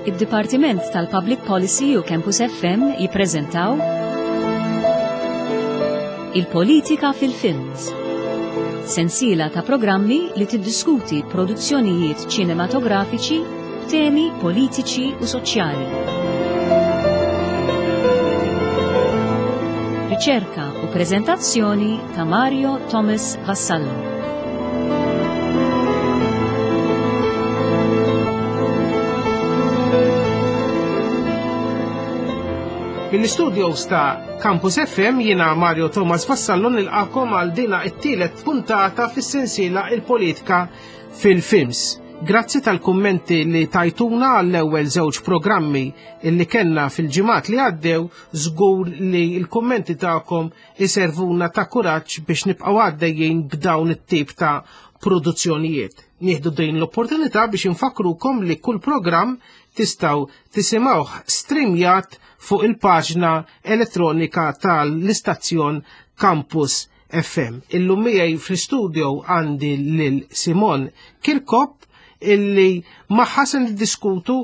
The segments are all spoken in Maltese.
Id-Dipartiment tal-Public Policy u Campus FM jippreżentaw Il-Politika fil-Films. Sensiela ta' programmi li tiddiskuti produzzjonijiet ċinematografiċi b'temi politiċi u soċjali. Riċerka u preżentazzjoni ta' Mario Thomas Vassallo. Mill-istudios ta' Campus FM jiena Mario Thomas Vassallo nilqakom għal dina it-tielet puntata fis-sensiela il-politika fil-films. Grazzi tal-kummenti li tajtuna għall-ewwel żewġ programmi illi kellna fil-ġimgħat li għaddew żgur li l-kummenti tagħkom iservuna ta' kuraġġ biex nibqgħu għaddejjin b'dawn it-tip ta' produzzjonijiet. Nieħdu din l-opportunità biex infakkrukom li kull programm tistgħu tisimgħuh streamjat fuq il-paġna elettronika tal-istazzjon Campus FM. Illum miegħi fl-istudio għandi lil Simon Kirkop illi magħha se niddiskutu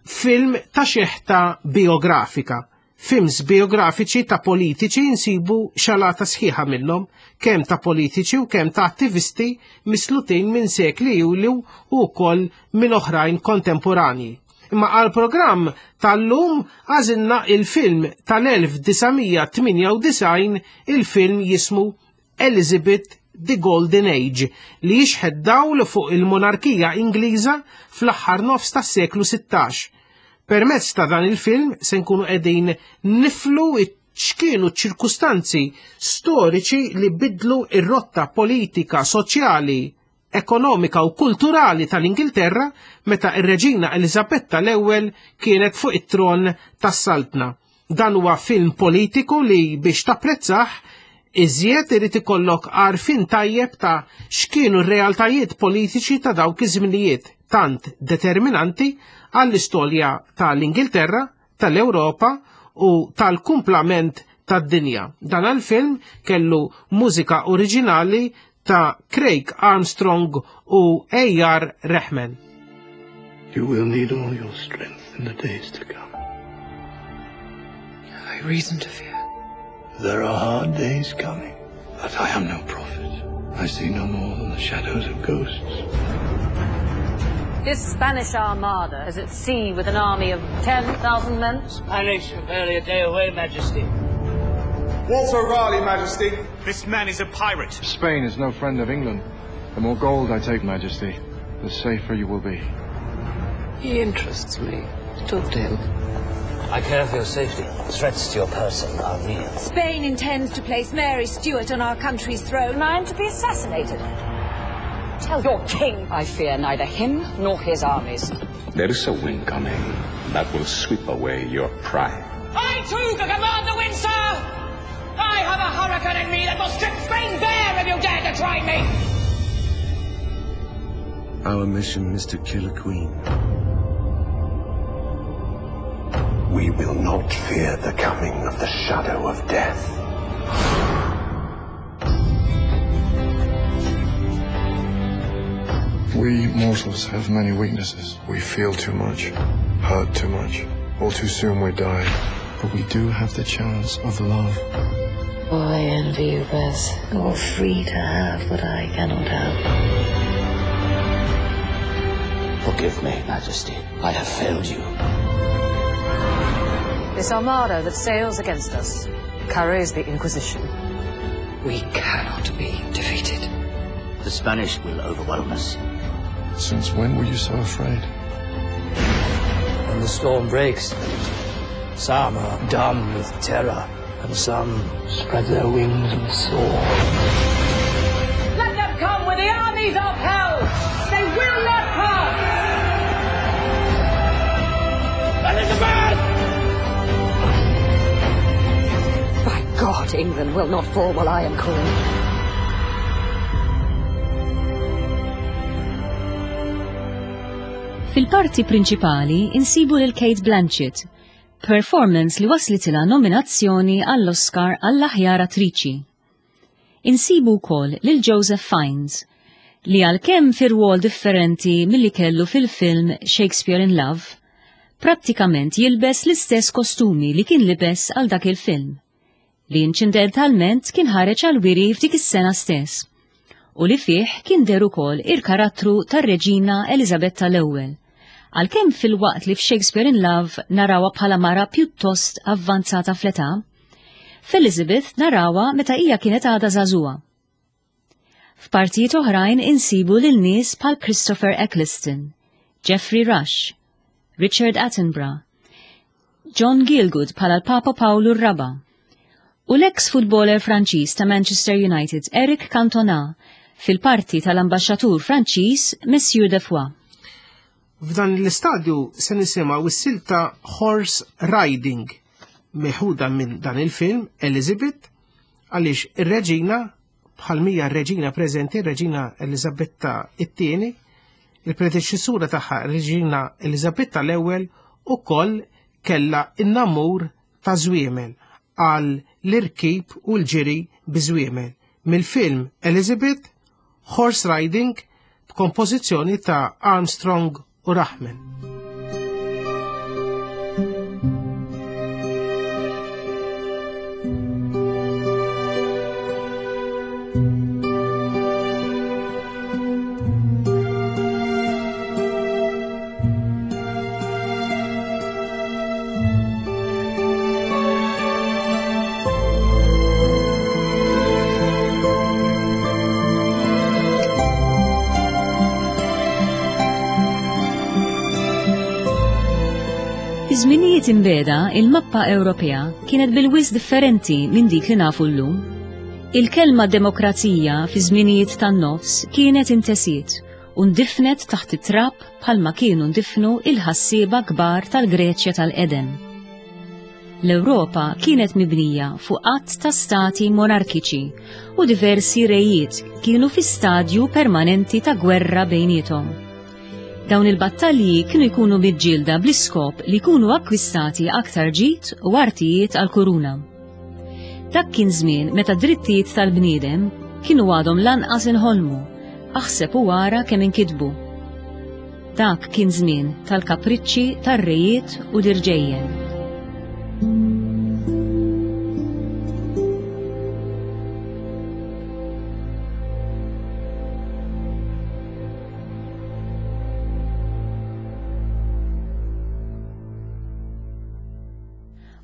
film ta' xeħta biografika. Films biografiċi ta' politiċi nsibu xalata sħiħa minnhom, kemm ta' politiċi u kemm ta' attivisti mislutin minn sekli ilu u wkoll minn oħrajn kontemporanji. Imma għal programm tal-lum għażilna il-film tal-1998 il-film jismu Elizabeth The Golden Age li jixħet dawl fuq il-monarkija Ingliża fl-aħħar nofs tas-seklu 16. Permezz ta' dan il-film se nkunu qegħdin niflu x'kienu ċ-ċirkustanzi storiċi li bidlu ir-rotta politika, soċjali, ekonomika u kulturali tal-Ingilterra meta ir-Reġina Eliżabetta l-ewwel kienet fuq it-tron tas-saltna. Dan huwa film politiku li biex tapprezzah iżjed irid ikollok għarfien tajjeb ta' x'kienu r-realtajiet politiċi ta' dawk iż-żminijiet tant determinanti għall-istorja tal-Ingilterra, tal-Ewropa u tal-kumplament tad-dinja. Dan għal-film kellu mużika oriġinali ta' Craig Armstrong u A.R. Rahman. You will need all your strength in the days to come. Have I reason to fear? There are hard days coming, but I am no prophet. I see no more than the shadows of ghosts. This Spanish armada is at sea with an army of 10,000 men. Spanish are barely a day away, Majesty. Walter Raleigh, Majesty. This man is a pirate. Spain is no friend of England. The more gold I take, Majesty, the safer you will be. He interests me. Talk to him. I care for your safety. Threats to your person are real. Spain intends to place Mary Stuart on our country's throne. I am to be assassinated. Tell your king I fear neither him nor his armies. There is a wind coming that will sweep away your pride. I too can command the wind, sir! I have a hurricane in me that will strip Spain bare if you dare to try me! Our mission is to kill a queen. We will not fear the coming of the shadow of death. We mortals have many weaknesses. We feel too much, hurt too much. All too soon we die. But we do have the chance of love. Oh, I envy you, Bess. You're free to have what I cannot have. Forgive me, Majesty. I have failed you. This armada that sails against us carries the Inquisition. We cannot be defeated. The Spanish will overwhelm us. Since when were you so afraid? When the storm breaks, some are dumb with terror, and some spread their wings and soar. Let them come with the armies of hell! They will not pass! Elizabeth! By God, England will not fall while I am queen. Fil-parti prinċipali insibu lil Kate Blanchett, performance li waslitilha nominazzjoni għall-Oscar għall-aħjar attriċi. Insibu wkoll lil Joseph Fiennes, li għalkemm fi rwol differenti milli kellu fil-film Shakespeare in Love, Prattikament jilbes l-istess kostumi li kien libes għal dak il-film, li inċidentalment kien ħareġ għal wiri f'dik is-sena stess, u li fih kien deher ukoll il-karattru tar-Reġina Eliżabetta l-Ewwel, għalkemm filwaqt li f'Shakespeare in Love narawha bħala mara pjuttost avvanzata fl-età, f'Elizabeth narawha meta hija kienet għadha żagħżugħa. F'partijiet oħrajn insibu lil nies bħal Christopher Eccleston, Geoffrey Rush, Richard Attenborough, John Gielgud bħala l-Papa Pawlu r-Raba' u l-eks futboler Franċiż ta' Manchester United Eric Cantona fil-parti tal-ambaxxatur Franċiż Monsieur de Foix. F'dan l-istadju se nisimgħu s-silta Horse Riding meħuda minn dan il-film Elizabeth għaliex ir-reġina bħal mija r-reġina preżenti, r-reġina Elizabetta it-tieni, il-predeċessura tagħha reġina Elizabetta l-ewwel ukoll kellha in-namur ta' żwiemel għal l-irkib u l-ġiri bi żwiemel. Mill-film Elizabeth, Horse Riding b'kompożizzjoni ta' Armstrong u Rahman. Fi żminijiet imbeda, il-mappa Ewropea kienet bil-wis differenti minn dik li nafu llum. Il-kelma demokrazija fi żminijiet tan-nofs kienet intesiet u ndifnet taħt it-trab bħalma kienu ndifnu il-ħassieba kbar tal-Greċja tal-qedem. L-Ewropa kienet mibnija fuq għadd ta' stati monarkiċi u diversi rejiet kienu fi stadju permanenti ta' gwerra bejniethom. Dawn il-battalji kienu jkunu miġġielda bl-iskop li jkunu akkwistati aktar ġid u artijiet għall-kuruna. Dak kien żmien meta drittijiet tal-bniedem kienu għadhom lanqas inħolmu, aħseb u ara kemm inkitbu. Dak kien żmien tal-kapriċċi tar-rejiet u l-irġejjen.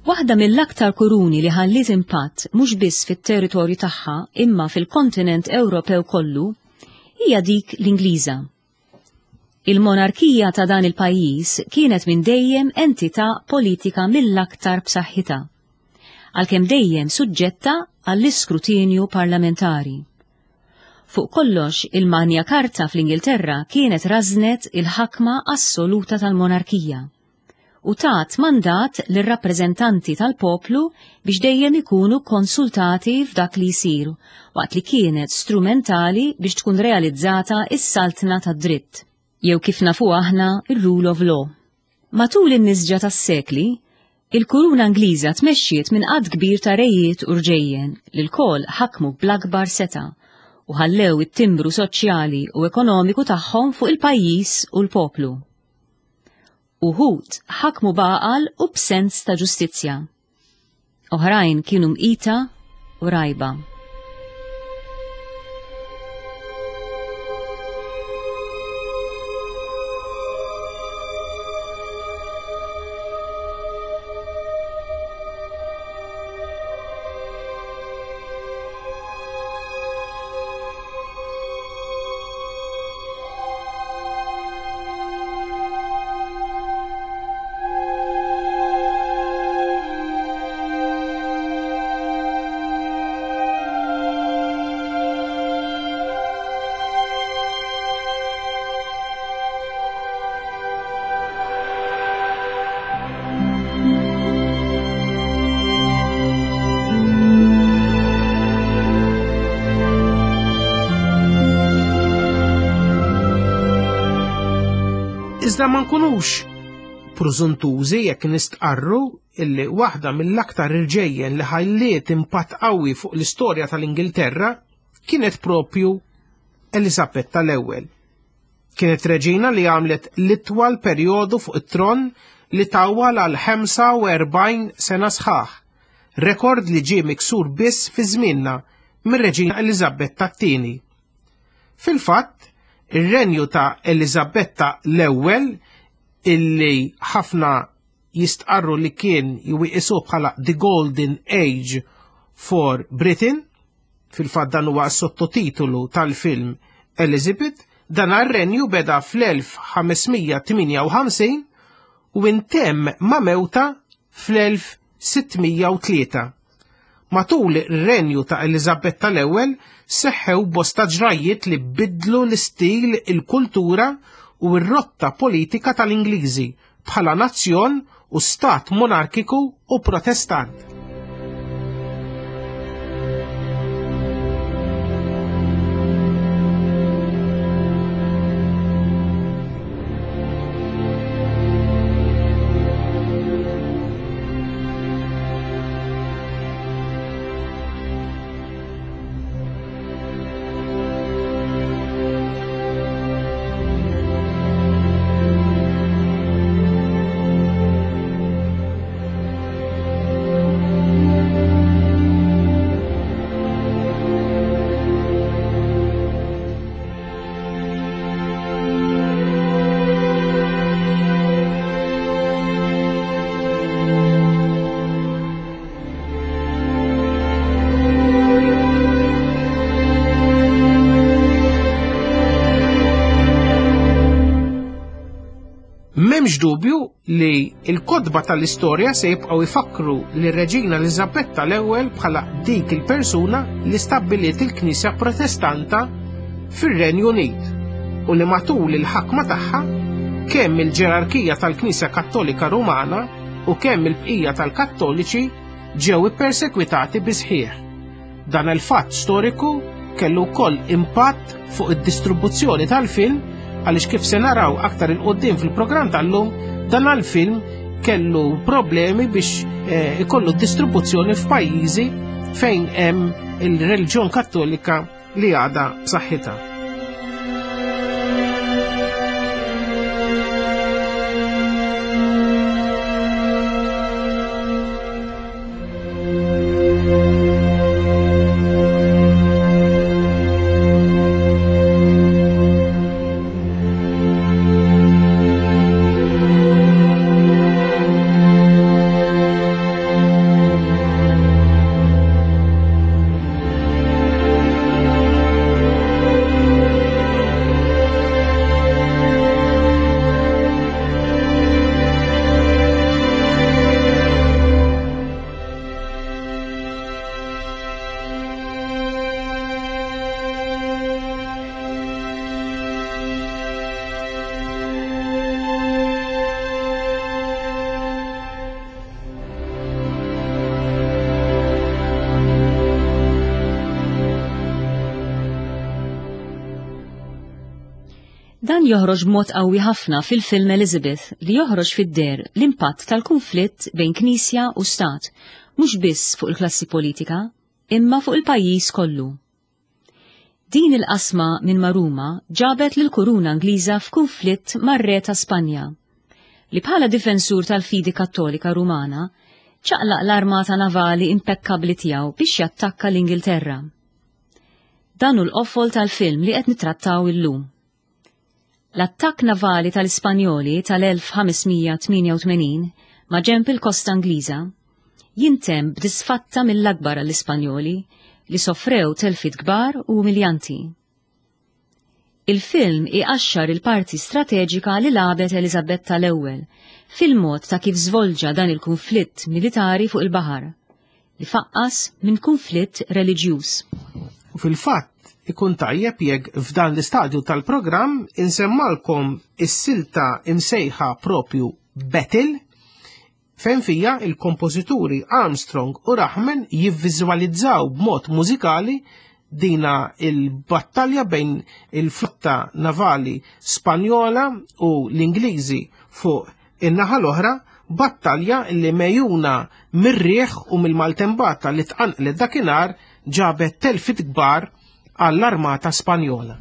Waħda mill-aktar kuruni li ħalliet impatt mhux biss fit-territorju tagħha imma fil-kontinent Ewropew kollu hija dik l-Ingliża. Il-monarkija ta' dan il-pajjiż kienet minn dejjem entità politika mill-aktar b'saħħitha, għalkemm dejjem suġġetta għall-iskrutinju parlamentari. Fuq kollox, il-Magna Carta fl-Ingilterra kienet rażnet il-ħakma assoluta tal-monarkija u tat mandat lir-rappreżentanti tal-poplu biex dejjem ikunu konsultati f'dak li jsir, waqt li kienet strumentali biex tkun realizzata s-saltna tad-dritt, jew kif nafuha aħna r-rule of law. Matul in-nisġa tas-sekli, il-kuruna Ingliża tmexxiet minn għadd kbir ta' rejiet u rġejjen li lkoll ħakmu bl-akbar setgħa u ħallew it-timbru soċjali u ekonomiku tagħhom fuq il-pajjiż u l-poplu. Uħud ħakmu b'għaqal u b'sens ta' ġustizzja. Oħrajn kienu mqita u rgħiba. Iżda ma nkunux prużuntużi jekk nistqarru illi waħda mill-aktar irġejjen li ħalliet impatt qawwi fuq l-istorja tal-Ingilterra kienet propju Elisabetta l-ewwel. Kienet reġina li għamlet l-itwal perjodu fuq it-tron li tawwal għal 45 sena sħaħ, rekord li ġie miksur biss fi żmienna mir-Reġina Eliżabetta t-Tieni. Fil-fatt, ir-renju ta' Eliżabetta l-Ewwel illi ħafna jistqarru li kien jew iqisuh bħala The Golden Age for Britain, fil-fatt dan huwa s-sottotitolu tal-film Elizabeth, dan ar-renju beda fl-1558 u intemm ma' mewta fl-1603. Matul ir-renju ta' Eliżabetta l-Ewwel seħħew bosta ġrajjiet li biddlu l-istil, il-kultura u r-rotta politika tal-Ingliżi bħala nazzjon u stat monarkiku u protestant. M'hemmx dubju li l-kotba tal-istorja se jibqgħu jfakkru lir-Reġina Eliżabetta l-Ewwel bħala dik il-persuna li stabbiliet il-Knisja Protestanta fir-Renju Unit u li matul il-ħakma tagħha kemm il-ġerarkija tal-Knisja Kattolika Rumana u kemm il-bqija tal-Kattoliċi ġew ippersekwitati bi sħiħ. Dan il-fatt storiku kellu wkoll impatt fuq id-distribuzzjoni tal-film għaliex kif se naraw aktar 'il quddiem fil-programm tal-lum dan il-film kellu problemi biex eh, ikollu distribuzzjoni f'pajjiżi fejn hemm il-reliġjon Kattolika li għadha b'saħħitha. Dan joħroġ b'mod qawwi ħafna fil-film Elizabeth li joħroġ fid-deher l-impatt tal-kunflitt bejn Knisja u Stat, mhux biss fuq il-klassi politika, imma fuq il-pajjiż kollu. Din il-qasma minn ma' Ruma ġabet lill-kuruna Ingliża f'kunflitt mar-Re ta' Spanja, li bħala difensur tal-fidi Kattolika Rumana ċaqlaq l-armata navali impekkabbli tiegħu biex jattakka l-Ingilterra. Dan hu l-qofol tal-film li qed nittrattaw illum. L-attakk navali tal-Ispanjoli tal-1588 maġenb il-kosta Ingliża jintemm b'disfatta mill-akbar għall-Ispanjoli li sofrew telfiet kbar u umiljanti. Il-film iqaxxar il-parti strateġika li lagħbet Eliżabetta l-Ewwel fil-mod ta' kif żvolġa dan il-kunflitt militari fuq il-baħar, li faqqas minn kunflitt reliġjuż. U fil-fatt, ikun tajjeb jekk f'dan l-istadju tal-programm insemmalkom is-silta imsejħa propju Battle, fejn fija il-kompożituri Armstrong u Rahman jivviżwalizzaw b'mod mużikali dina il-battalja bejn il-flotta navali Spanjola u l-Ingliżi fuq in-naħa l-oħra, battalja li mejuna mir-riħ u mill-maltembata li tqanqlet dakinhar ġabet telfit kbar għall-armata Spanjola.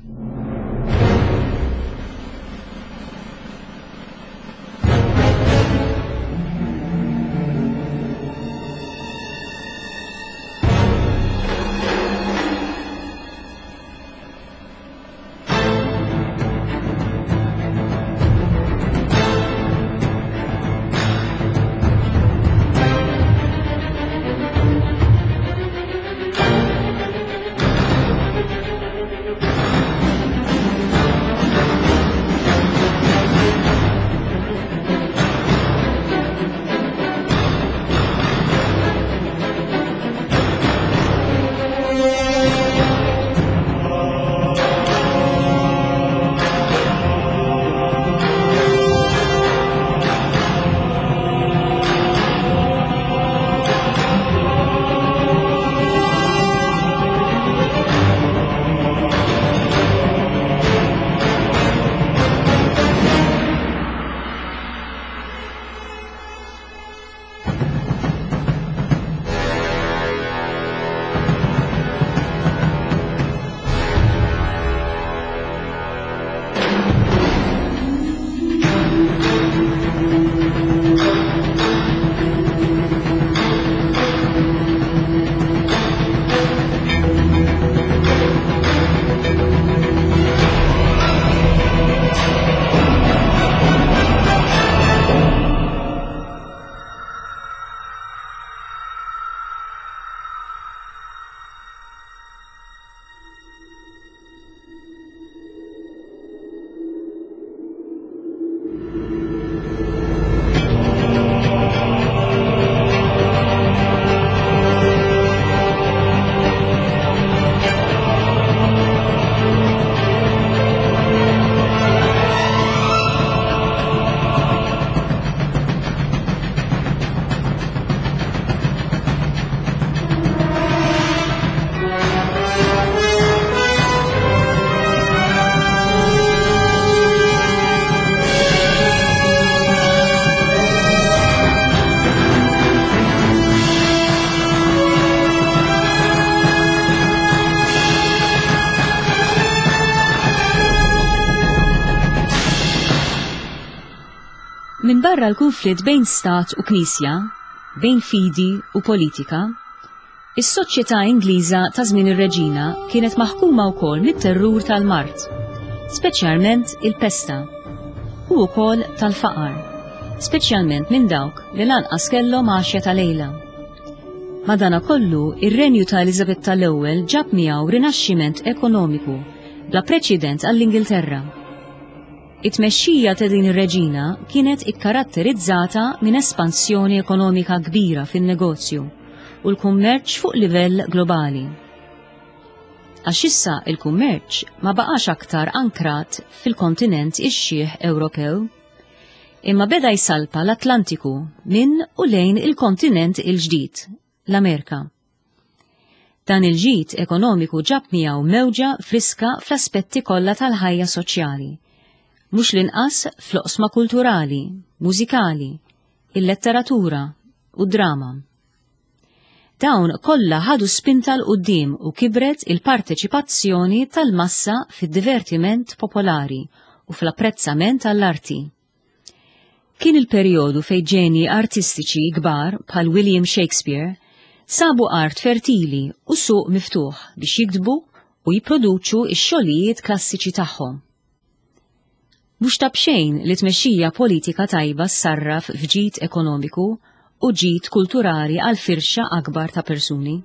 Minbarra l-kunflitt bejn stat u knisja, bejn fidi u politika, is-soċjetà Ingliża ta' żmien ir-Reġina kienet maħkuma wkoll mit-terrur tal-mard, speċjalment il-pesta, u wkoll tal-faqar, speċjalment minn dawk li lanqas kellhom għaxja ta' lejla. Madanakollu, ir-renju ta' Eliżabetta l-Ewwel ġab miegħu rinaxximent ekonomiku bla preċedent għall-Ingilterra. It-tmexxija ta' din ir-reġina kienet ikkaratterizzata minn espansjoni ekonomika kbira fin-negozju u l-kummerċ fuq livell globali. Għax issa il-kummerċ ma baqax aktar ankrat fil-kontinent ix-xiħ Ewropew, imma beda jsalpa l-Atlantiku minn u lejn il-kontinent il-ġdid, l-Amerika. Dan il-ġid ekonomiku ġab miegħu mewġa friska fl-aspetti kollha tal-ħajja soċjali, mhux l-inqas fl-oqsma kulturali, mużikali, il-letteratura u d-drama. Dawn kollha ħadu spinta 'l quddiem u kibret il-parteċipazzjoni tal-massa fid-divertiment popolari u fl-apprezzament għall-arti. Kien il-perjodu fejn ġenji artistiċi kbar bħal William Shakespeare sabu art fertili u suq miftuħ biex jiktbu u jipproduċu x-xogħlijiet klassiċi tagħhom. Mhux ta' b'xejn li tmexxija politika tajba ssarraf f'ġid ekonomiku u ġid kulturali għal firxa akbar ta' persuni.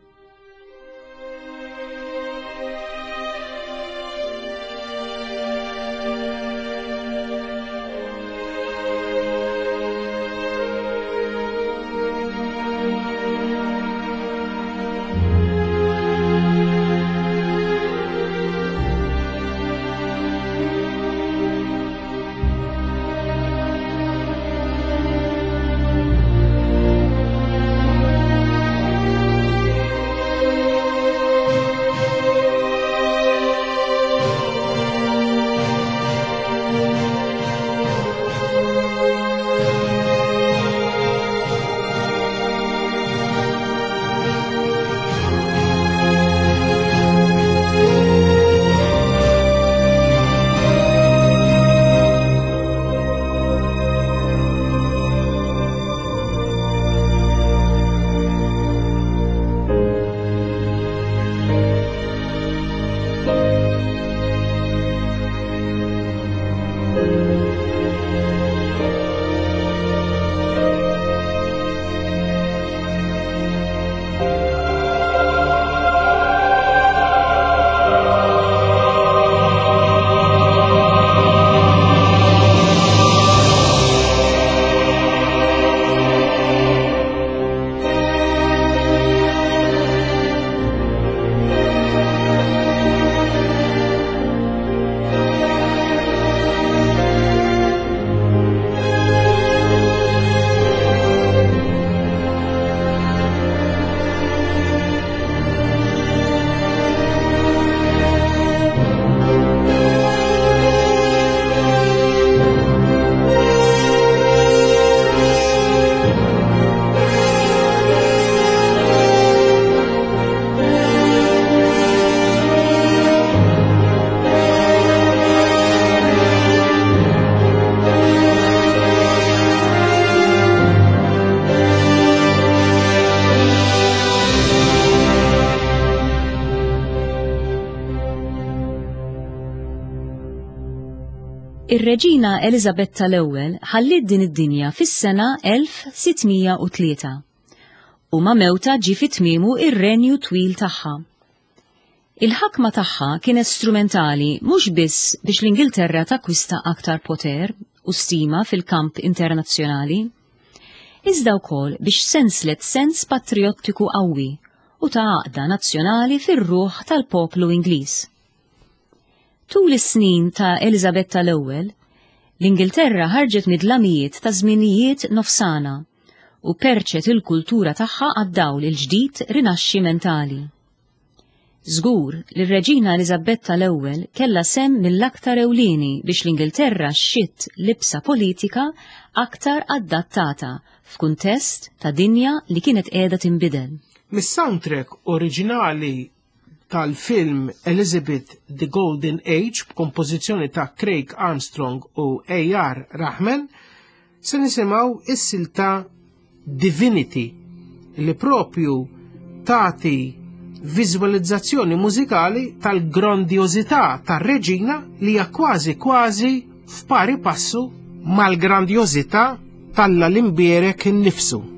Ir-Reġina Eliżabetta l-Ewwel ħalliet din id-dinja fis-sena 1603 u ma' mewtha ġie fi tmiemu r-renju twil tagħha. Il-ħakma tagħha kienet strumentali mhux biss biex l-Ingilterra takkwista aktar poter u stima fil-kamp internazzjonali, iżda wkoll biex senslet sens patrijottiku qawwi u ta' għaqda nazzjonali fir-ruħ tal-poplu Ingliż. Tul is-snin ta' Eliżabetta l-Ewwel, l-Ingilterra ħarġet mid-dlamijiet ta' żminijiet nofsana u perċet il-kultura tagħha għad-dawl il-ġdid rinaxximentali. Żgur li r-Reġina Eliżabetta l-Ewwel kellha sehem mill-aktar ewlieni biex l-Ingilterra xxitt libsa politika aktar adattata f'kuntest ta' dinja li kienet qiegħda tinbidel. Mis-soundtrack oriġinali tal-film Elizabeth The Golden Age b'kompożizzjoni ta' Craig Armstrong u A.R. Rahman. Se nisimgħu is-silta Divinity li propju tagħti viżwalizzazzjoni mużikali tal-grandjożità tar-reġina li hija kważi kważi f'pari passu mal-grandjożità t'Alla l-Imbierek innifsu.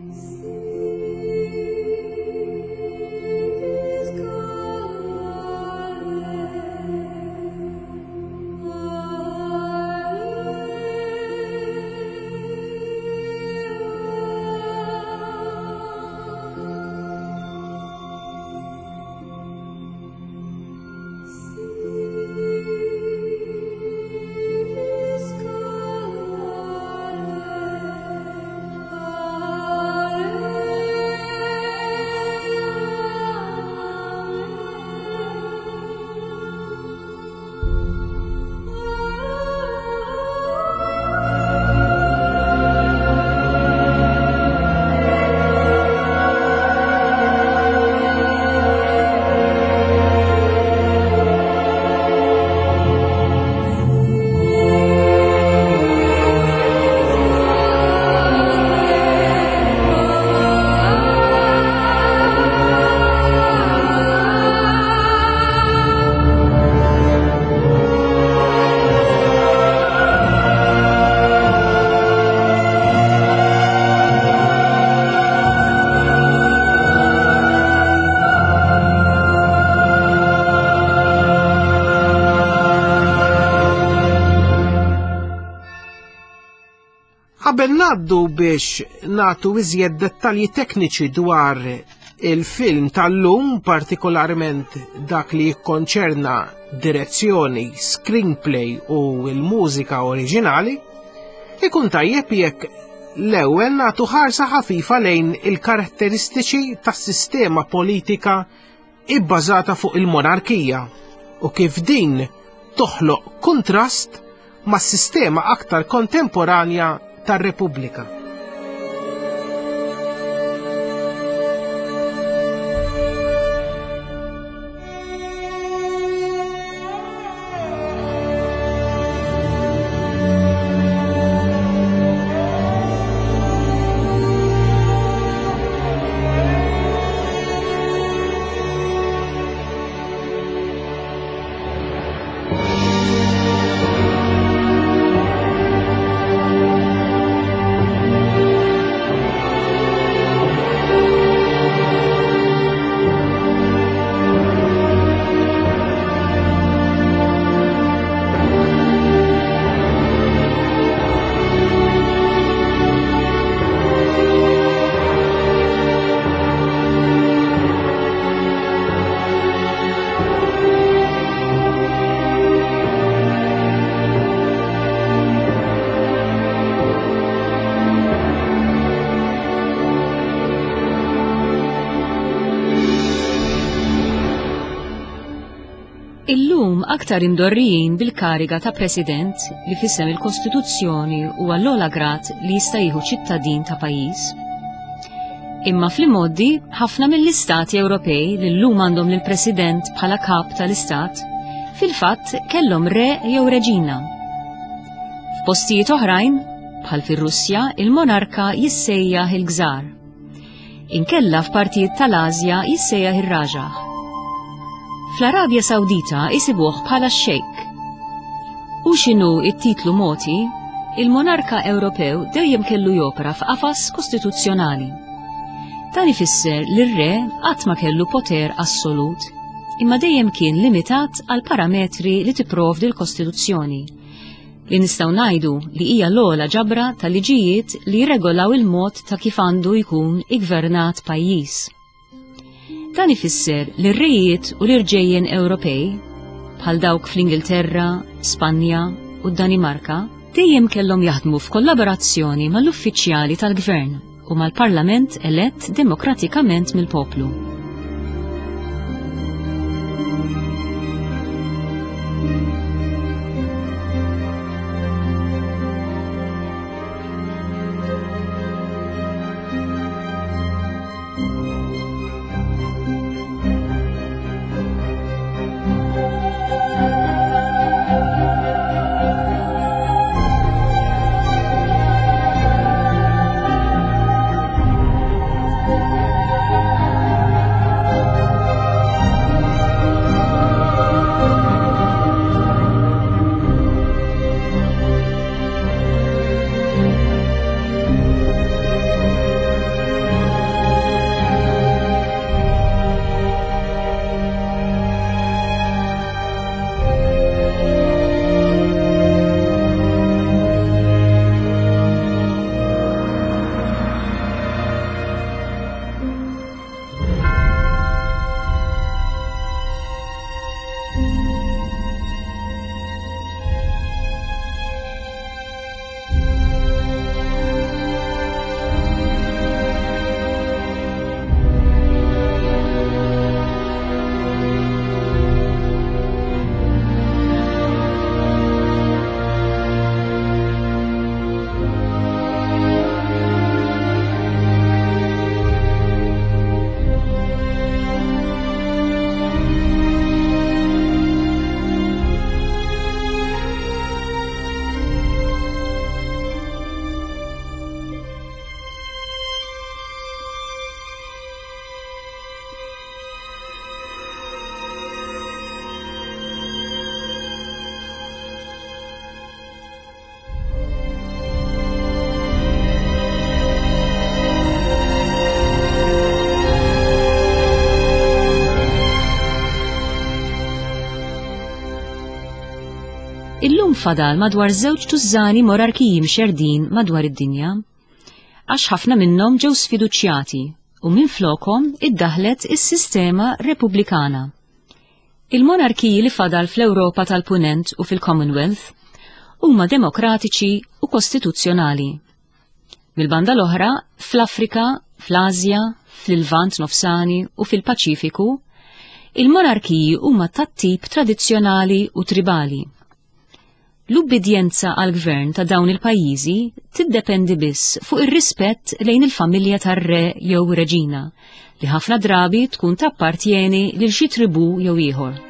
Qabel ngħaddu biex nagħtu iżjed dettalji tekniċi dwar il-film tal-lum, partikolarment dak li jikkonċerna direzzjoni, screenplay u l-mużika oriġinali, ikun tajjeb jekk l-ewwel nagħtu ħarsa ħafifa lejn il-karatteristiċi tas-sistema politika ibbażata fuq il-monarkija u kif din toħloq kuntrast mas-sistema aktar kontemporanja tar-Repubblika. Illum aktar imdorrijin bil-kariga ta' President li f'isem il-Kostituzzjoni huwa l-ogħla grad li jista' jieħu ċittadin ta' pajjiż. Imma fl-imgħoddi ħafna mill-istati Ewropej li llum għandhom lill-President bħala kap tal-istat, fil-fatt kellhom re jew reġina. F'postijiet oħrajn, bħal fir-Russja, il-monarka jissejjaħ il-gżar. Inkella f'partijiet tal-Asja jissejjaħ ir-Raġaħ. Fl-Arabja Sawdita isibuh bħala x-Sheikh. Hu x'inhu t-titlu mogħti, il-monarka Ewropew dejjem kellu jopera f'qafas kostituzzjonali. Dan ifisser li r-re qatt ma kellu poter assolut, imma dejjem kien limitat għal parametri li tipprovdi l-Kostituzzjoni. li nistgħu ngħidu li hija l-ogħla ġabra ta' liġijiet li jirregolaw il-mod ta' kif għandu jkun iggvernat pajjiż. Dan ifisser li r-rejiet u l-irġejjen Ewropej, bħal dawk fl-Ingilterra, Spanja u d-Danimarka, dejjem kellhom jaħdmu f'kollaborazzjoni mal-uffiċjali tal-gvern u mal-Parlament elett demokratikament mill-poplu. Illum fadal madwar żewġ tużżani monarkiji mxerdin madwar id-dinja. Għax ħafna minnhom ġew sfiduċjati u minflokhom iddaħlet is-sistema repubblikana. Il-monarkiji li fadal fl-Ewropa tal-Punent u fil-Commonwealth huma demokratiċi u kostituzzjonali. Mill-banda l-oħra, fl-Afrika, fl-Asja, fl-Lvant Nofsani u fil-Paċifiku, il-monarkiji huma tat-tip tradizzjonali u tribali. L-ubbidjenza għall-gvern ta' dawn il-pajjiżi tiddependi biss fuq ir-rispett lejn il-familja tar-re jew reġina, li ħafna drabi tkun tappartjeni lil xi tribù jew ieħor.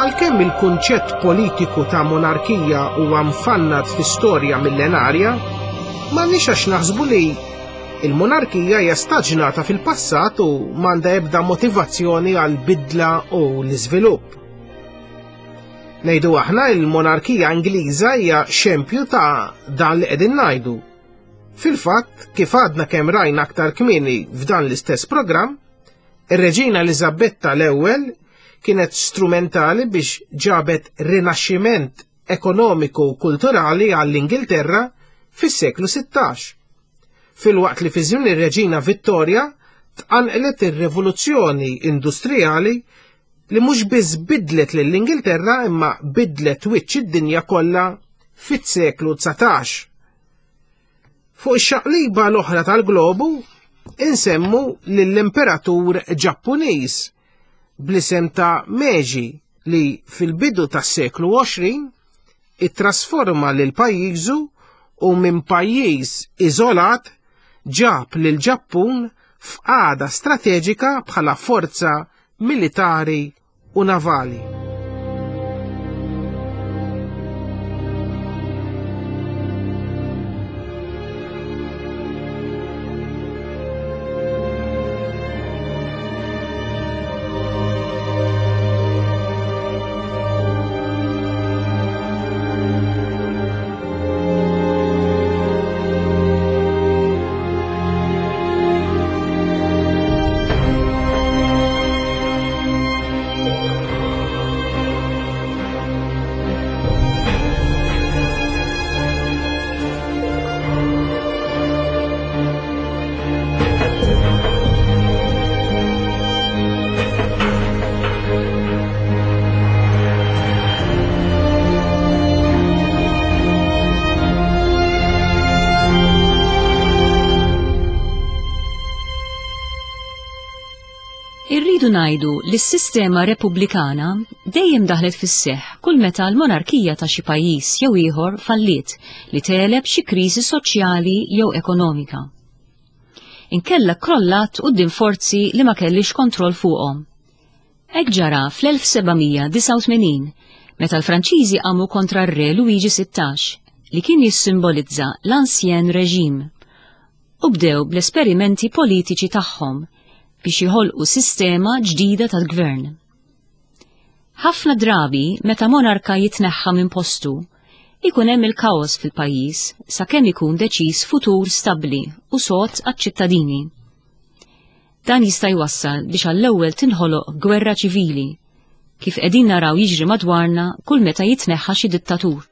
Għalkemm il-kunċett politiku ta' monarkija huwa mfannad fi storja millenarja, m'għandniex għax naħsbu li il-monarkija hija staġnata fil-passat u m'għandha ebda motivazzjoni għal bidla u l-iżvilupp. Ngħidu aħna il-monarkija Ingliża hija xempju ta' dan li qegħdin ngħidu. Fil-fatt, kif għadna kemm rajna aktar kmieni f'dan l-istess programm, Ir-Reġina Eliżabetta l-Ewwel kienet strumentali biex ġabet rinaxximent ekonomiku u kulturali għall-Ingilterra fis-seklu 16. Filwaqt li fi żmien ir-Reġina Vittorja tqanqlet ir-rivoluzzjoni industrijali li mhux biss bidlet lill-Ingilterra imma bidlet wiċċ id-dinja kollha fis-seklu 19. Fuq ix-xaqliba l-oħra tal-globu insemmu lill-Imperatur Ġappuniż bl-isem ta' Meiji li fil-bidu tas-seklu 20 ittrasforma lil pajjiżu u minn pajjiż iżolat ġab lil Ġappun f'qagħda strateġika bħala forza militari u navali. Irridu ngħidu li s-sistema repubblikana dejjem daħlet fis-seħħ kull meta l-monarkija ta' xi pajjiż jew ieħor falliet li tegħleb xi kriżi soċjali jew ekonomika. Inkella krollat quddiem forzi li ma kellix kontroll fuqhom. Hekk ġara fl-1789 meta l-Franċiżi qamu kontra r-Re Luigi 16 li kien jissimbolizza l-Ancien Régime u bdew bl-esperimenti politiċi tagħhom biex jħolqu sistema ġdida tal-gvern. Ħafna drabi meta monarka jitneħħa minn postu, ikun hemm il-kaos fil-pajjiż sakemm ikun deċiż futur stabbli u sod għaċ-ċittadini. Dan jista' jwassal biex għall-ewwel tinħoloq gwerra ċivili, kif qegħdin naraw jiġri madwarna kull meta jitneħħa xi dittatur.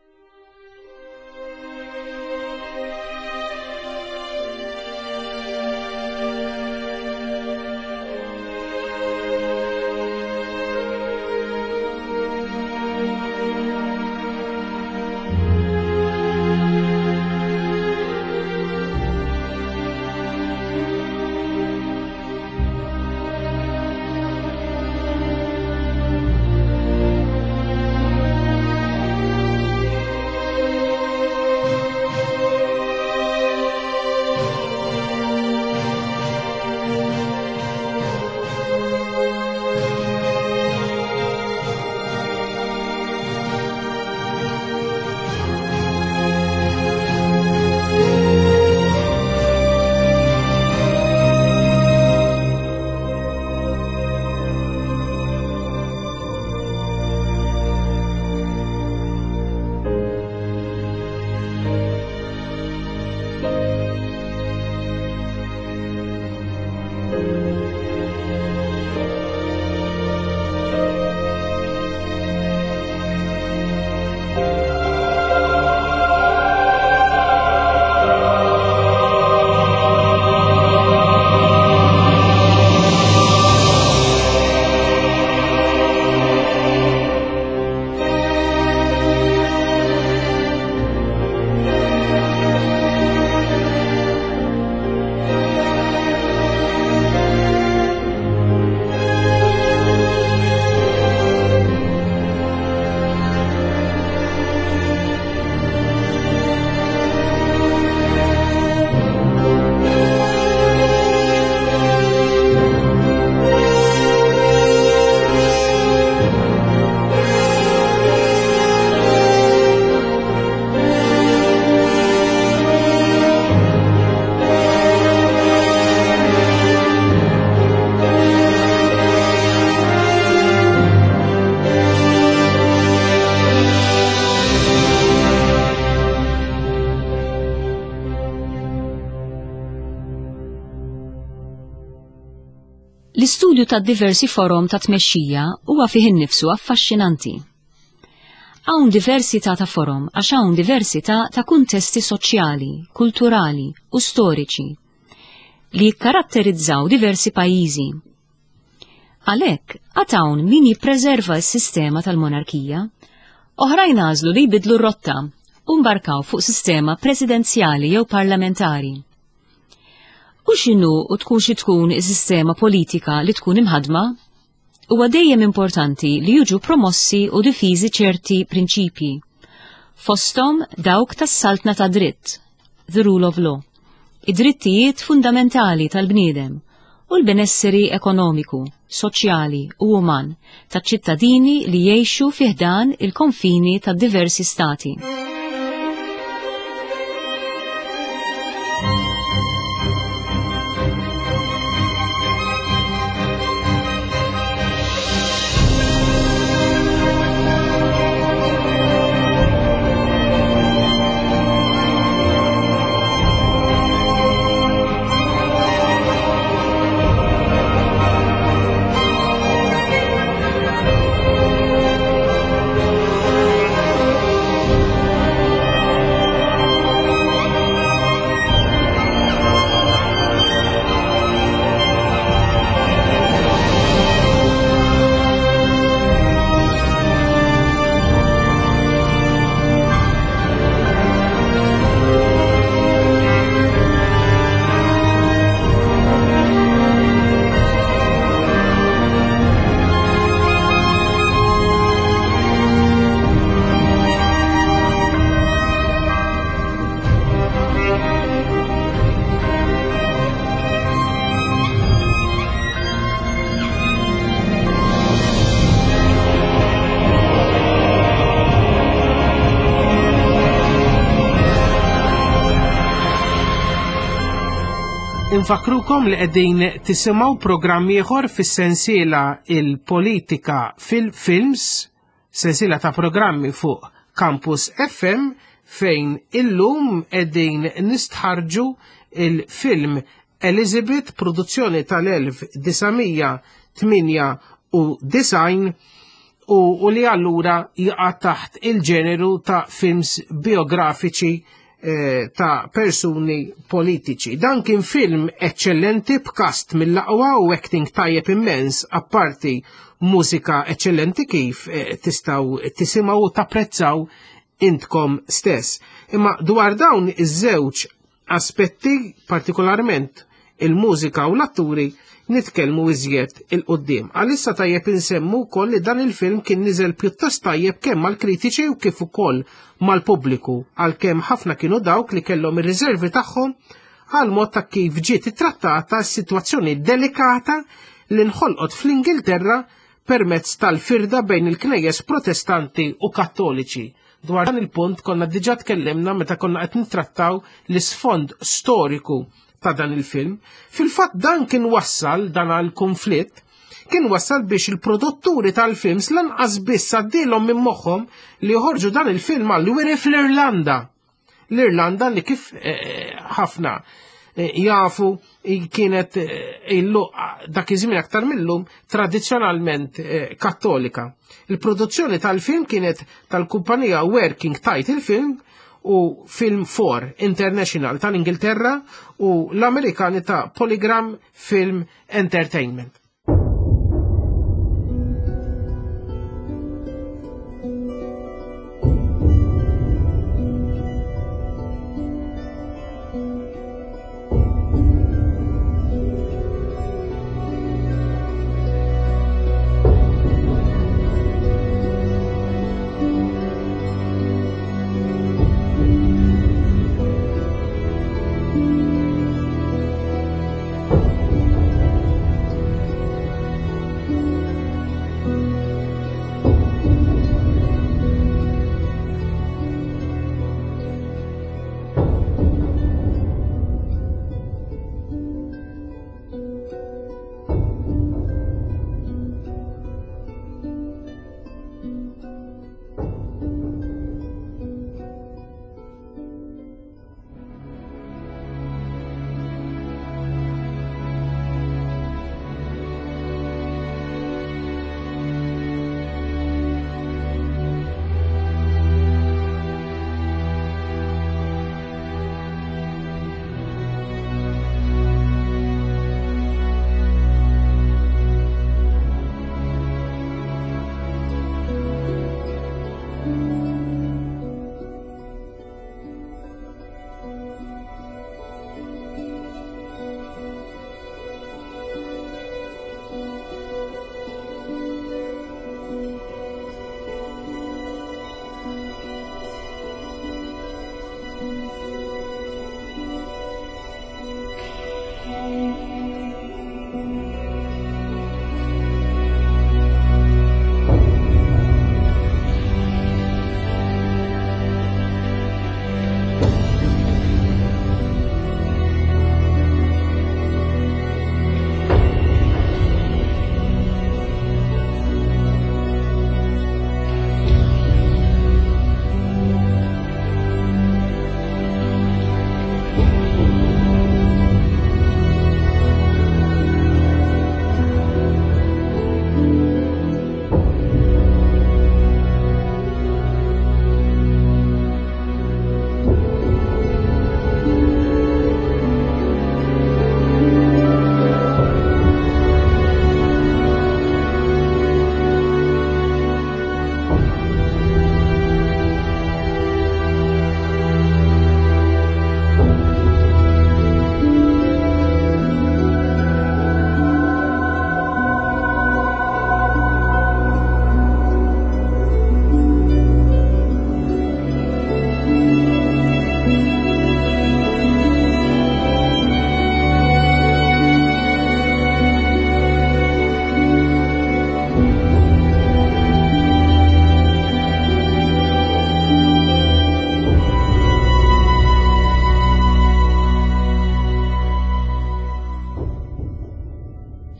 L-istudju ta' diversi forom ta' tmexxija huwa fih innifsu affaxxinanti. Hawn diversità ta' forom għax hawn diversità ta' kuntesti soċjali, kulturali u storiċi li jikkaratterizzaw diversi pajjiżi. Għalhekk, għad hawn min jippreserva s-sistema tal-monarkija, oħrajn għażlu li jbiddlu r-rotta u mbarkaw fuq sistema presidenzjali jew parlamentari. U x'inhu u tkun xi tkun is-sistema politika li tkun imħaddma, huwa dejjem importanti li jiġu promossi u difiżi ċerti prinċipji, fosthom dawk tas-saltna ta' dritt, the rule of law, id-drittijiet fundamentali tal-bniedem u l-benesseri ekonomiku, soċjali u uman taċ-ċittadini li jgħixu fi ħdan il-konfini ta' diversi stati. Infakrukom li qegħdin tisimgħu programm ieħor fis-sensiela il-politika fil-films, sensiela ta' programmi fuq Campus FM fejn illum qegħdin nistħarġu il-film Elizabeth, produzzjoni tal-1998 u li allura jaqa' taħt il-ġeneru ta' films biografiċi eh, ta' persuni politiċi. Dan kien film eccellenti b'kast mill-aqwa u acting tajjeb immens apparti mużika eccellenti kif eh, tistaw tisimgħu u tapprezzaw intkom stess. Imma dwar dawn iż-żewġ aspetti, partikolarment il-mużika u l-atturi, nitkellmu iżjed il-qoddim. Għalissa tajjeb insemmu wkoll li dan il-film kien niżel pjuttost tajjeb kemm mal-kritiċi u kif ukoll mal-pubbliku, għalkemm ħafna kienu dawk li kellhom ir-riservi tagħhom għal mod ta' kif ġiet ittrattata s-sitwazzjoni delikata li nħolqot fl-Ingilterra permezz tal-firda bejn il-knejjes protestanti u kattoliċi. Dwar dan il-punt konna diġà tkellimna meta konna qed nittrattaw l-isfond storiku ta' dan il-film. Fil-fatt dan kien wassal dan għal konflitt kien wassal biex il-produtturi tal-films lanqas biss għaddilhom minn moħħhom li joħorġu dan il-film għal wiri fl-Irlanda. L-Irlanda li kif eh, ħafna eh, jafu kienet eh, illu dak iż-żmien aktar millum tradizzjonalment kattolika. Il-produzzjoni tal-film kienet tal-kumpanija Working Title Film u Film 4 International tal-Ingilterra u l-Amerikani ta' Polygram Film Entertainment.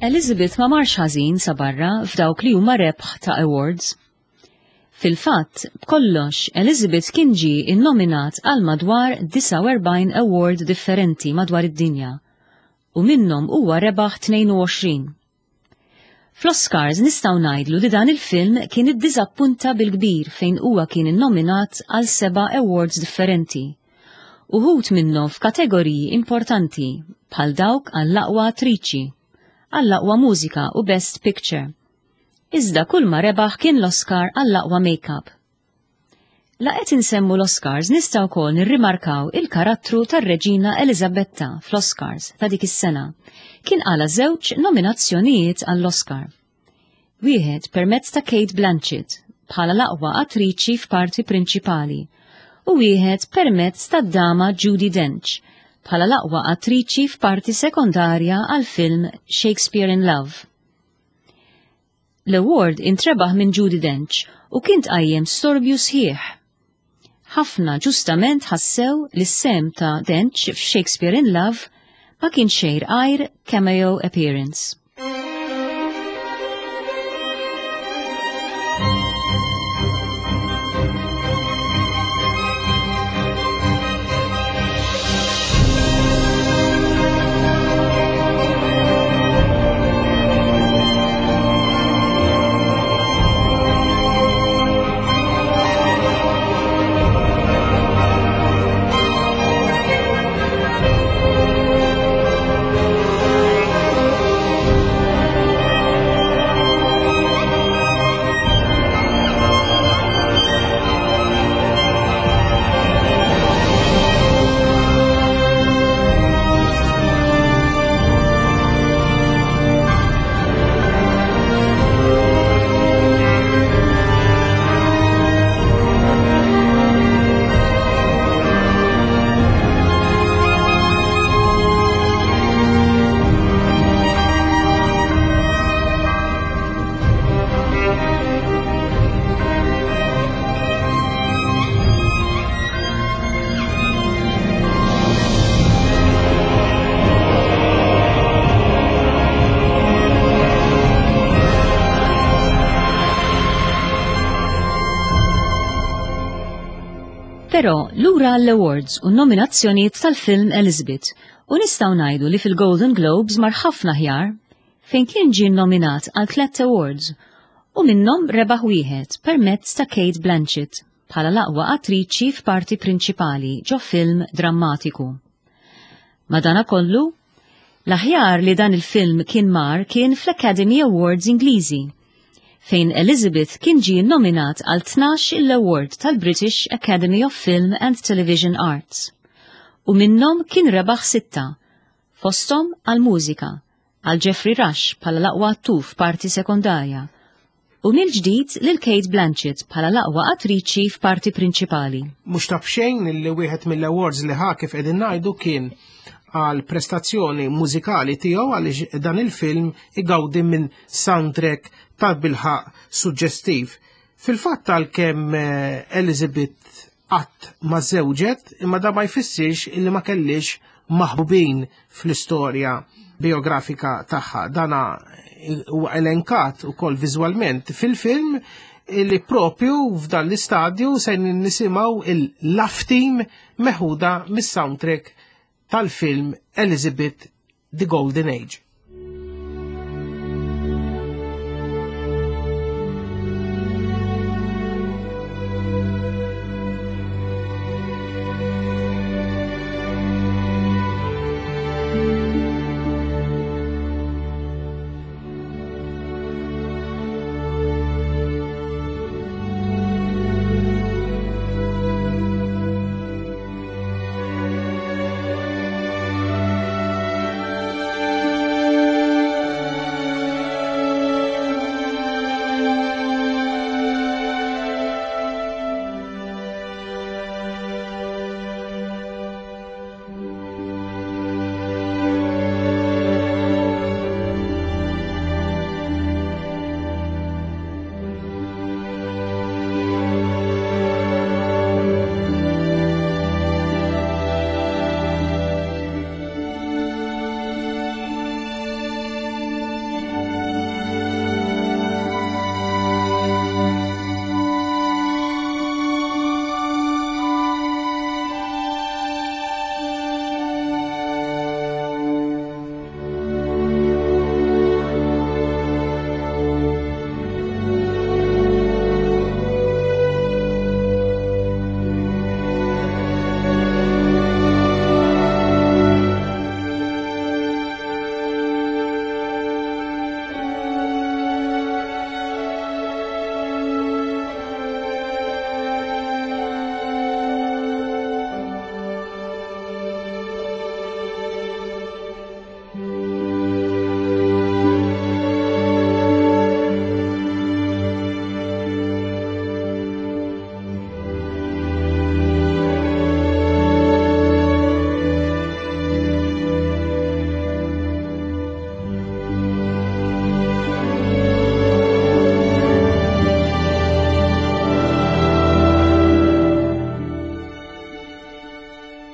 Elizabeth ma marx ħażin sa barra f'dawk li huma rebħ ta' awards. Fil-fatt, b'kollox, Elizabeth kien ġie innominat għal madwar 49 award differenti madwar id-dinja u minnhom huwa rebaħ 22. Fl-Oscars nistgħu ngħidlu li dan il-film kien iddiżappunta bil-kbir fejn huwa kien innominat għal seba' awards differenti. Uħud minnhom f'kategoriji importanti bħal dawk għall-aqwa attriċi, għall-aqwa mużika u Best Picture. Iżda kull ma rebaħ kien l-Oscar għall-aqwa makeup. La qed insemmu l-Oscars nistgħu wkoll nirrimarkaw il-karattru tar-Reġina Eliżabetta fl-Oscars ta' dik is-sena. Kien qala żewġ nominazzjonijiet għall-Oscar. Wieħed permezz ta' Cate Blanchett bħala l-aqwa attriċi f'parti prinċipali u wieħed permezz tad-dama Judi Dench bħala l-aqwa attriċi f'parti sekondarja għall-film Shakespeare in Love. L-award intrebaħ minn Judi Dench u kien tqajjem storbju sħiħ. Ħafna ġustament ħassew li s-sehem ta' Dench f'Shakespeare in Love ma kien xejn għajr cameo appearance. Però lura għall-awards u nominazzjonijiet tal-film Elizabeth u nistgħu ngħidu li fil-Golden Globes mar ħafna aħjar fejn kien ġie nominat għal tliet awards u minnhom rebaħ wieħed permezz ta' Cate Blanchett bħala l-aqwa attriċi f'parti prinċipali ġo film drammatiku. Madanakollu, l-aħjar li dan il-film kien mar kien fl-Academy Awards Ingliżi, fejn Elizabeth kien ġie nominat għal 12 il-award tal-British Academy of Film and Television Arts. U minnhom kien rebaħ sitta, fosthom għall-mużika, għal Geoffrey Rush bħala l-aqwa attur f'parti sekondarja u mill-ġdid lil Cate Blanchett bħala l-aqwa attriċi f'parti prinċipali. Mhux ta' b'xejn li wieħed mill-awards li ħa kif qegħdin ngħidu kien għal prestazzjoni mużikali tiegħu għaliex dan il-film igawdi minn soundtrack ta' bilħaq suġġestiv. Fil-fatt għalkemm eh, Elizabeth qatt ma żewġet, imma da ma jfissirx illi ma kellix maħbubin fl-istorja biografika tagħha. Dana huwa elenkat ukoll viżwalment fil-film li propju f'dan l-istadju se nisimgħu il-Love Team meħuda mis-soundtrack tal-film Elizabeth The Golden Age.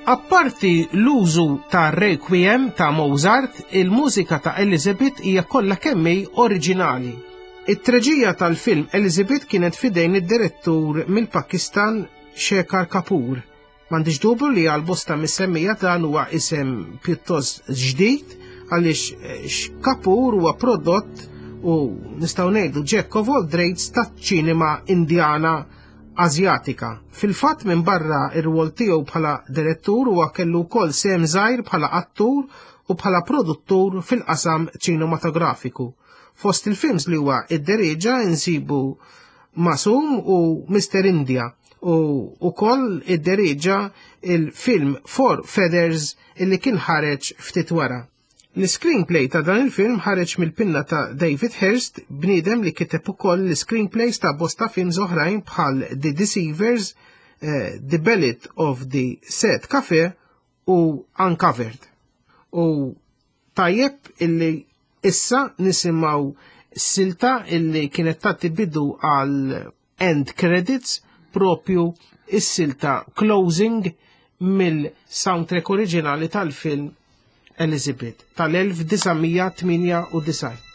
Apparti l-użu ta' Requiem ta' Mozart, il-mużika ta' Elizabeth hija kollha kemm hi oriġinali. It-treġija tal-film Elizabeth kienet f'idejn id-direttur mill-Pakistan Shekhar Kapur. M'għandix dubju li għal bosta mis-semmija dan huwa isem pjuttost ġdid għaliex eh, Kapur huwa prodott u nistgħu ngħidu Jack of all trades taċ-ċinema Indjana Asjatika. Fil-fatt minn barra ir-rwol tiegħu bħala direttur huwa kellu wkoll sehem żgħir bħala attur u bħala produttur fil-qasam ċinematografiku. Fost il-films li huwa idderieġa insibu Masum u Mr. India u ukoll idderieġa il-film Four Feathers illi kien ħareġ ftit wara. L-screenplay ta' dan il-film ħareġ mill-pinna ta' David Hirst, bniedem li kiteb ukoll l-screenplays ta' bosta films oħrajn bħal The Deceivers, eh, The Ballad of the Set Cafe u Uncovered. U tajjeb illi issa nisimgħu silta illi kienet tagħti bidu għal end credits propju is-silta closing mill-soundtrack oriġinali tal-film Elizabeth tal-1998.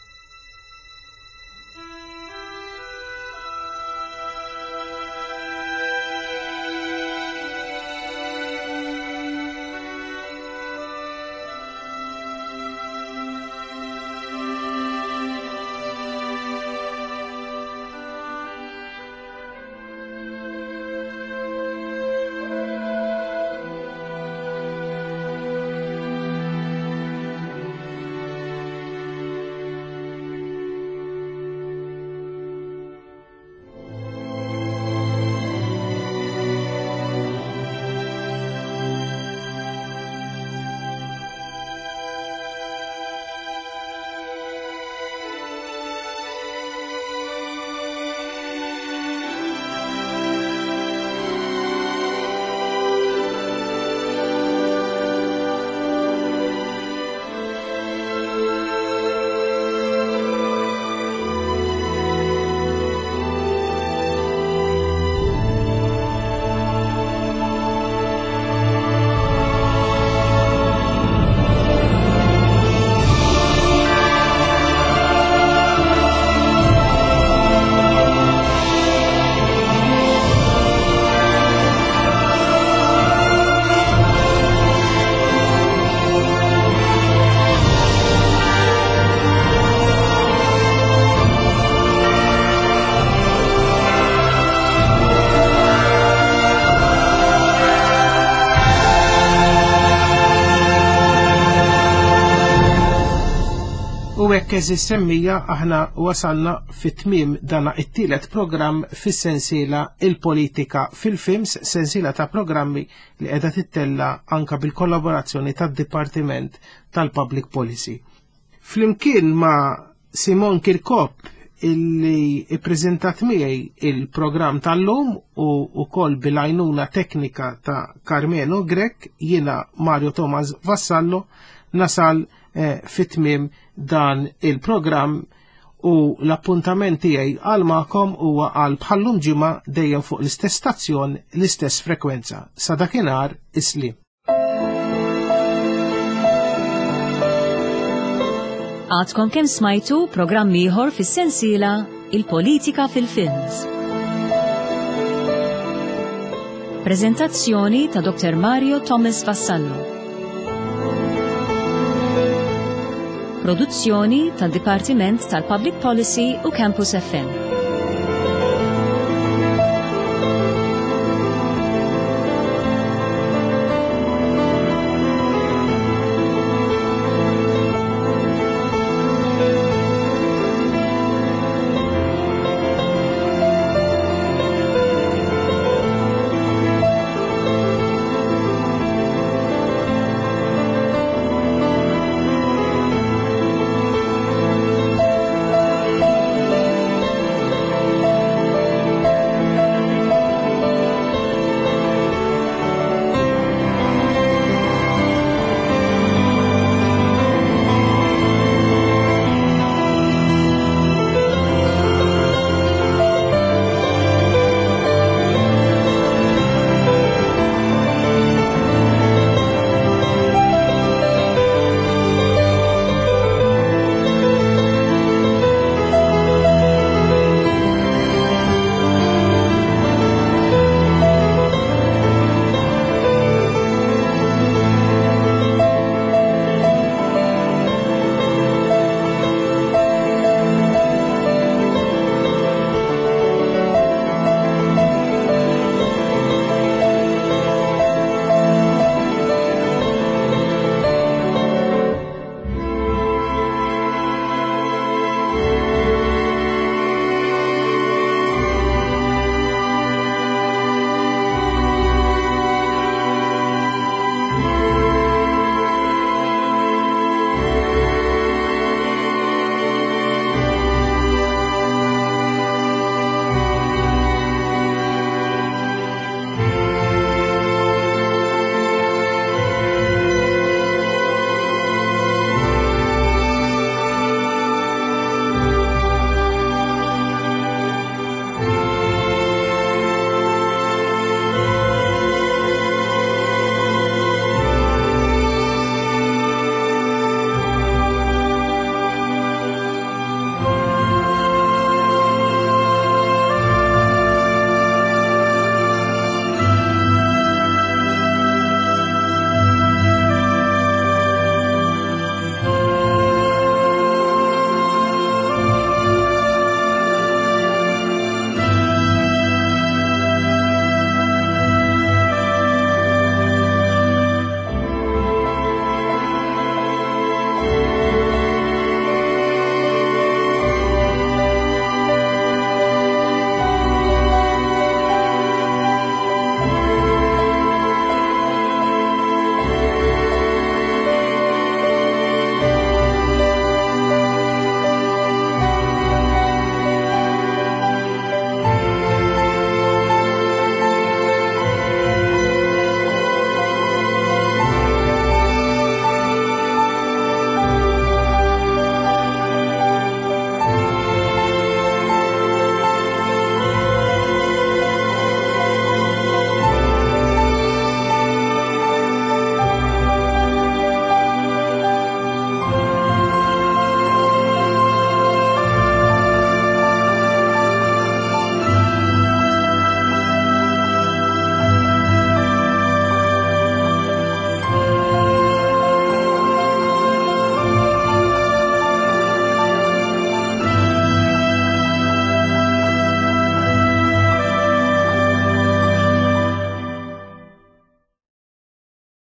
U hekk eżis semmija aħna wasalna fit-tmiem dana it-tielet programm fis-sensiela Il-Politika fil-Films, sensiela ta' programmi li qiegħda tittella anka bil-kollaborazzjoni tad-Dipartiment tal-Public Policy. Flimkien ma' Simon Kirkop illi ippreżentat miegħi il-programm tal-lum u wkoll bil-għajnuna teknika ta' Carmelo Grech, jiena Mario Thomas Vassallo nasal eh, fit-tmiem dan il-programm u l-appuntament tiegħi għal magħkom huwa għal bħallum ġimgħa dejjem fuq l-istess stazzjon, l-istess frekwenza. Sa dakinhar islim. Għadkom kemm smajtu programm ieħor fis-sensiela Il-Politika fil-Films. Prezentazzjoni ta' Dr. Mario Thomas Vassallo. Produzzjoni tad-Dipartiment tal-Public Policy u Campus FM.